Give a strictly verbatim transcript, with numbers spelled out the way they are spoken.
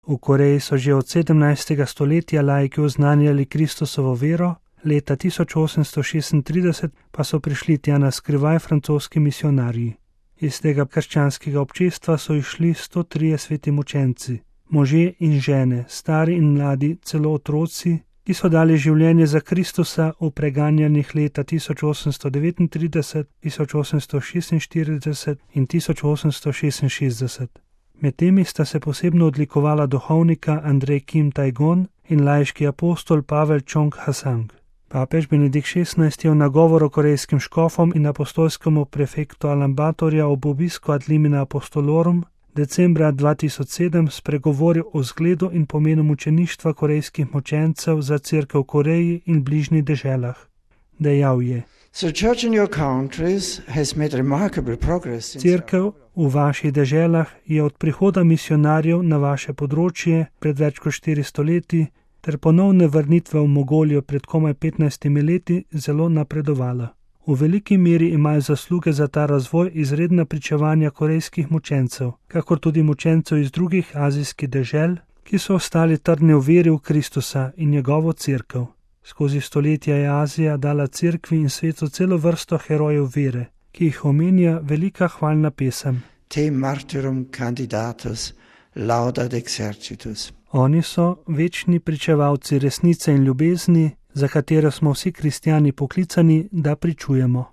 V Koreji so že od sedemnajstega stoletja laiki oznanjali Kristusovo vero, leta tisoč osemsto šestintrideset pa so prišli tja na skrivaj francoski misionarji. Iz tega krščanskega občestva so išli sto trije sveti mučenci, možje in žene, stari in mladi, celo otroci, ki so dali življenje za Kristusa v preganjanjih leta tisoč osemsto devetintrideset, tisoč osemsto šestinštirideset in tisoč osemsto šestinšestdeset. Med temi sta se posebno odlikovala duhovnika Andrej Kim Tajgon in laiški apostol Pavel Čong Hasang. Papež Benedikt šestnajsti je v nagovoru korejskim škofom in apostolskemu prefektu Alambatorja ob obisku ad limina apostolorum decembra dva tisoč sedem spregovoril o zgledu in pomenu mučeništva korejskih mučencev za cerkev v Koreji in bližnjih deželah. Dejal je: Cerkev v vaših deželah je od prihoda misionarjev na vaše področje pred več kot štiristo leti ter ponovne vrnitve v Mongolijo pred komaj petnajstimi leti zelo napredovala. V veliki meri imajo zasluge za ta razvoj izredna pričevanja korejskih mučencev, kakor tudi mučencev iz drugih azijskih dežel, ki so ostali trdni v veri v Kristusa in njegovo cerkev. Skozi stoletja je Azija dala cerkvi in svetu celo vrsto herojev vere, ki jih omenja velika hvalna pesem. Te martyrum candidatus laudat exercitus. Oni so večni pričevalci resnice in ljubezni, za katero smo vsi kristjani poklicani, da pričujemo.